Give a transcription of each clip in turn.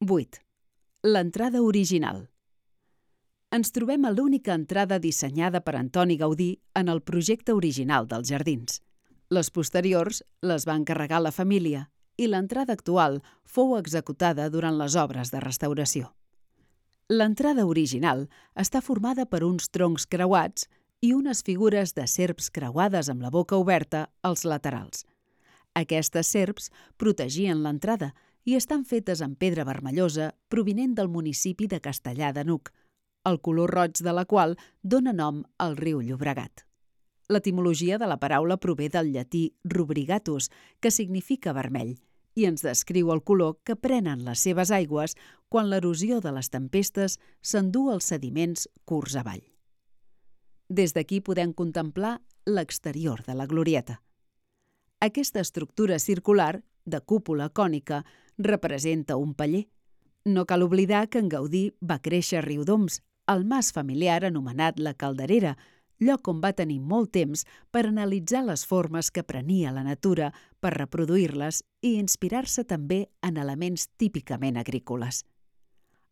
8. L'entrada original. Ens trobem a l'única entrada dissenyada per Antoni Gaudí en el projecte original dels jardins. Les posteriors les va encarregar la família i l'entrada actual fou executada durant les obres de restauració. L'entrada original està formada per uns troncs creuats i unes figures de serps creuades amb la boca oberta als laterals. Aquestes serps protegien l'entrada i estan fetes en pedra vermellosa provinent del municipi de Castellar de n'Hug, el color roig de la qual dóna nom al riu Llobregat. L'etimologia de la paraula prové del llatí rubrigatus, que significa vermell, i ens descriu el color que prenen les seves aigües quan l'erosió de les tempestes s'endú els sediments curts avall. Des d'aquí podem contemplar l'exterior de la glorieta. Aquesta estructura circular, de cúpula cònica, representa un paller. No cal oblidar que en Gaudí va créixer a Riudoms, al mas familiar anomenat la Calderera, lloc on va tenir molt temps per analitzar les formes que prenia la natura per reproduir-les i inspirar-se també en elements típicament agrícoles.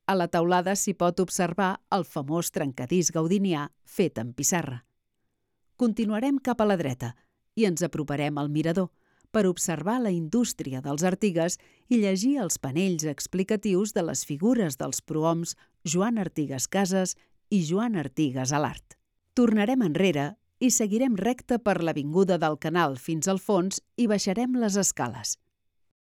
A la teulada s'hi pot observar el famós trencadís gaudinià fet en pissarra. Continuarem cap a la dreta i ens aproparem al mirador per observar la indústria dels Artigues i llegir els panells explicatius de les figures dels prohoms Joan Artigas Casas i Joan Artigas Alart. Tornarem enrere i seguirem recte per l'avinguda del Canal fins al fons i baixarem les escales.